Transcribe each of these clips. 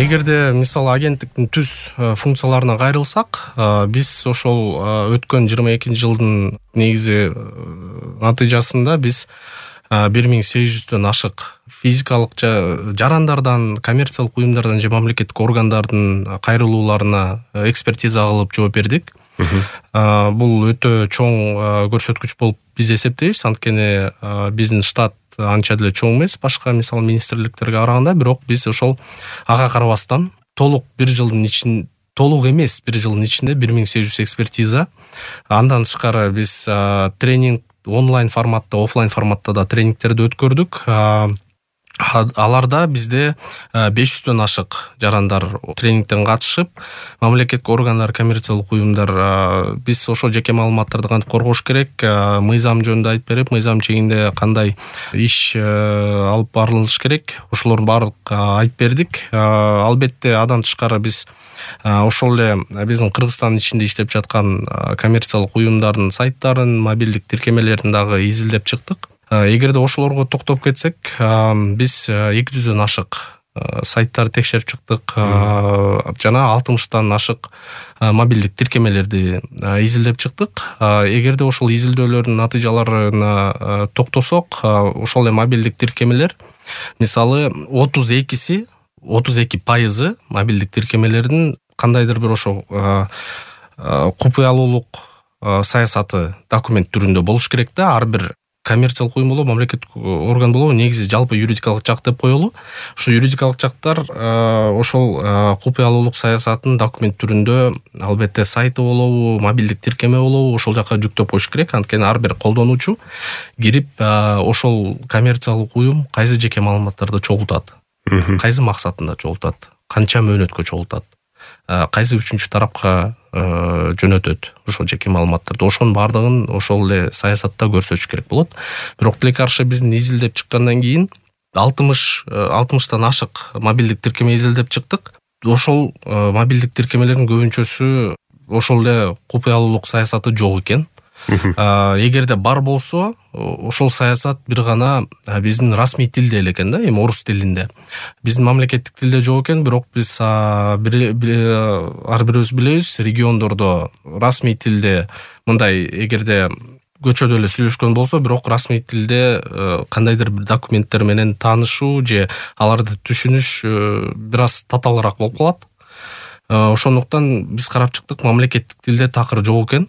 Эгерде мисалы агенттиктин түз функцияларына кайрылсак, биз ошол өткөн 22-жылдын негизи натыйжасында биз 1800дөн ашык физикалык жарандардан, коммерциялык уюмдардан же мамлекеттик органдардын кайрылууларына экспертиза кылып жооп бердик. Бул өтө чоң көрсөткүч болуп биз эсептейбиз, анткени биздин штат анча деле чоң эмес башка мисалы министрликтерге караганда, бирок биз ошол ага карабастан толук бир жылдын ичинде 1800 экспертиза. Андан тышкары биз тренинг онлайн форматта, офлайн форматта да тренингтерди өткөрдүк. Аларда бизде 500дөн ашык жарандар тренингден катышып, мамлекеттик органдар, коммерциялык уюмдар биз ошо жеке маалыматтарды кантип коргош керек, мыйзам жөнүндө айтып берип, мыйзам чегинде кандай иш алып барылыш керек, ошолордун баардык айтып бердик. Албетте андан тышкары биз ошол эле биздин Кыргызстандын ичинде иштеп жаткан коммерциялык уюмдардын сайттарын, мобилдик тиркемелерин дагы изилдеп чыктык. Эгерде ошолорго токтоп кетсек, биз 200дөн ашык сайттарды текшерип чыктык, жана 60тан ашык мобилдик тиркемелерди изилдеп чыктык. Эгерде ошол изилдөөлөрдүн натыйжаларына токтосок, ошол эле мобилдик тиркемелер мисалы 32% мобилдик тиркемелердин кандайдыр бир ошо купуялуулук саясаты документ түрүндө болуш керек да. Ар бир коммерциялык уюм болобу, мамлекеттик орган болобу, негизи жалпы юридикалык жак деп коелу. Ушу юридикалык жактар ошол купуялуулук саясатын документ түрүндө албетте сайты болобу, мобилдик тиркеме болобу, ошол жака жүктөп коюш керек. Анткени ар бир колдонуучу кирип ошол коммерциялык уюм кайсы жеке маалыматтарды чогултат, кайсы максатында чогултат, канча мөөнөткө чогултат, кайсы үчүнчү тарапка жөнөтөт ошол жеке маалыматтарды, ошонун баардыгын ошол эле саясатта көрсөтүш керек болот. Бирок тилеке каршы биздин изилдеп чыккандан кийин 60тан ашык мобилдик тиркеме изилдеп чыктык. Ошол мобилдик тиркемелердин көбүнчөсү ошол эле купуялуулук саясаты жок экен. Эгерде бар болсо, ошол саясат бир гана биздин расмий тилде эле экен да, эми орус тилинде. Биздин мамлекеттик тилде жок экен, бирок биз ар бирибиз билебиз, региондордо расмий тилде мындай, эгерде көчөдө эле сүйлөшкөн болсо, бирок расмий тилде кандайдыр бир документтер менен таанышуу же аларды түшүнүш бир аз татаалыраак болуп калат. Ошондуктан биз карап чыктык, мамлекеттик тилде такыр жок экен.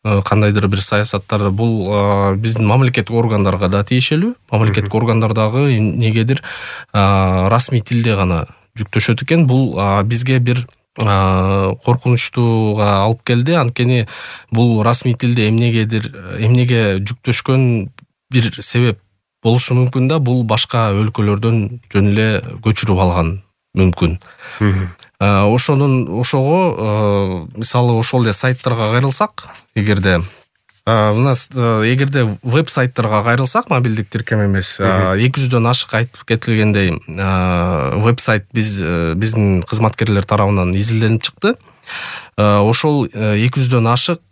Кандайдыр бир саясаттарды бул биздин мамлекеттик органдарга да тиешелүү. Мамлекеттик органдар дагы эмнегедир расмий тилде гана жүктөшөт экен. Бул бизге бир коркунучтууга алып келди. Анткени бул расмий тилде эмнеге жүктөшкөн бир себеп болушу мүмкүн да, бул башка өлкөлөрдөн жөн эле көчүрүп алган мүмкүн. Ошого мисалы ошол эле сайттарга кайрылсак, эгерде веб-сайттарга кайрылсак, мобилдик тиркеме эмес, 200дөн ашык айтып кетилгендей веб-сайт биздин кызматкерлер тарабынан изилденип чыкты. Ошол 200дөн ашык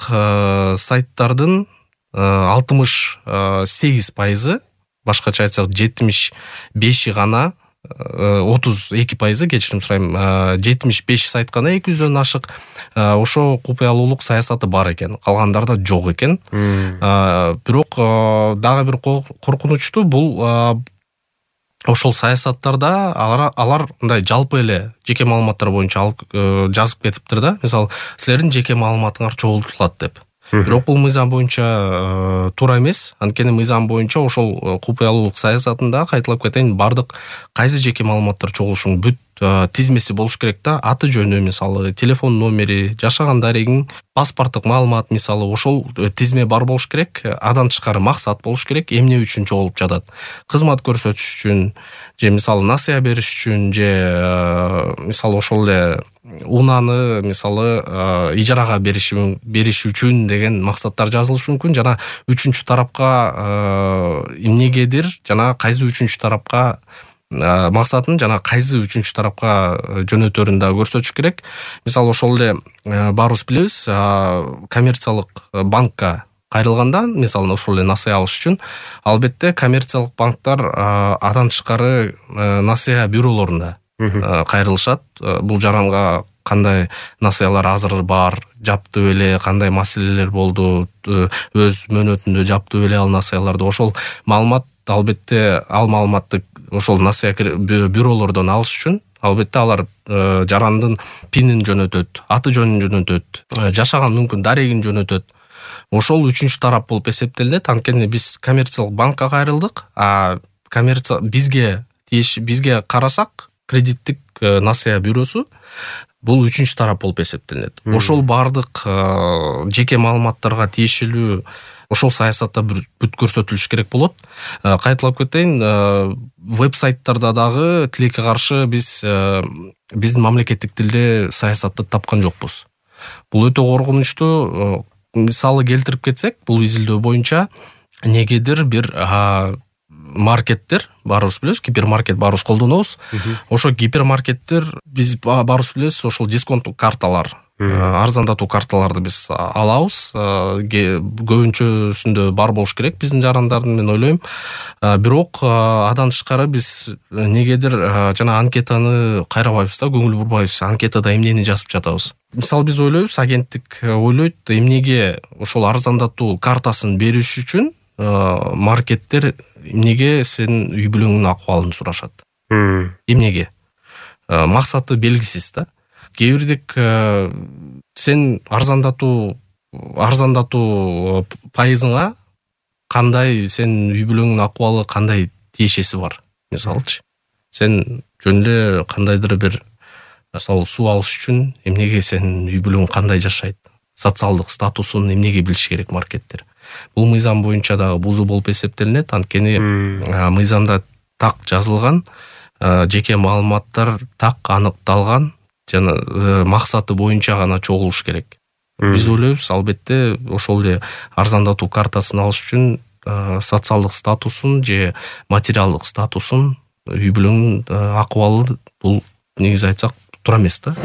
сайттардын 68%, башкача айтсак 75 гана, 32%, кечирим сурайм, 75 сайт гана 200дөн ашык ошо купуялуулук саясаты бар экен, калгандарда жок экен. Бирок дагы бир коркунучтуу бул ошол саясаттарда алар мындай жалпы эле жеке маалыматтар боюнча жазып кетиптир да. Мисалы, силердин жеке маалыматыңар чогултулат деп. Бирок бул мыйзам боюнча туура эмес. Анткени мыйзам боюнча ошол купуялуулук саясатында, кайталап кетейин, бардык кайсы жеке маалыматтар чогулушунун бүт тизмеси болуш керек да. Аты жөнү, мисалы, телефон номери, жашаган дарегиң, паспорттук маалымат, мисалы, ошол тизме бар болуш керек. Андан тышкары максат болуш керек, эмне үчүн чогулуп жатат. Кызмат көрсөтүш үчүн, же мисалы насыя бериш үчүн, же мисалы ошол эле унааны мисалы ижарага бериш үчүн деген максаттар жазылышы мүмкүн. Жана үчүнчү тарапка эмнегедир, жана кайсы үчүнчү тарапка максатын жана кайсы үчүнчү тарапка жөнөтөрүн да көрсөтүш керек. Мисалы, ошол эле баарыбыз билебиз, коммерциялык банкка кайрылганда, мисалы, ошол эле насыя алыш үчүн, албетте коммерциялык банктар андан тышкары насыя бюролорунда кайрылышат. Бул жаранга кандай насыялар азыр бар, жаптып эле, кандай маселелер болду, өз мөөнөтүндө жаптып эле ал насыяларды. Ошол маалымат албетте ал маалыматты ошол насыя бюролордон алыш үчүн албетте алар жарандын пинин жөнөтөт, аты жөнүн жөнөтөт, жашаган мүмкүн дарегин жөнөтөт. Ошол үчүнчү тарап болуп эсептелет. Анткени биз коммерциялык банкка кайрылдык, а бизге карасак кредиттик насыя бюросу бул үчүнчү тарап болуп эсептелет. Ошол бардык жеке маалыматтарга тиешелүү ошол саясатта бүт көрсөтүлүш керек болот. Кайталап кетейин, веб-сайттарда дагы тилекке каршы биздин мамлекеттик тилде саясатты тапкан жокпуз. Бул өтө коркунучтуу. Мисалы келтирип кетсек, бул изилдөө боюнча негедир бир маркеттер, баарыбыз билебиз, гипермаркет баарыбыз колдонобуз. Ошо гипермаркеттер биз баарыбыз билебиз, ошол дисконттук карталар, арзандатуу карталарды биз алабыз. Көбүнчөсүндө бар болуш керек биздин жарандардын, мен ойлойм. Бирок андан тышкары биз негедир жана анкетаны кайрабайбыз да, көңүл бурбайбыз. Анкетада эмнени жазып жатабыз. Мисалы биз ойлойбуз, агенттик ойлойт, эмнеге ошол арзандатуу картасын бериш үчүн маркеттер эмнеге сенин үй бүлөңдүн акыбалын сурашат. Эмнеге? Максаты белгисиз да. Кээ бирдик сен арзандатуу пайызыңа кандай сенин үй бүлөңдүн акыбалы кандай тиешеси бар. Мисалычы, сен жөн эле кандайдыр бир мисалы суу алыш үчүн эмнеге сенин үй бүлөң кандай жашайт, социалдык статусун эмнеге билиш керек маркеттер. Бул мыйзам боюнча дагы бузуу болуп эсептелинет. Анткени мыйзамда так жазылган, жеке маалыматтар так аныкталган жана максаты боюнча гана чогулуш керек. Биз ойлойбуз, албетте ошол эле арзандатуу картасын алыш үчүн социалдык статусун же материалдык статусун, үй бүлөңдүн акыбалы бул негизи айтсак туура эмес да.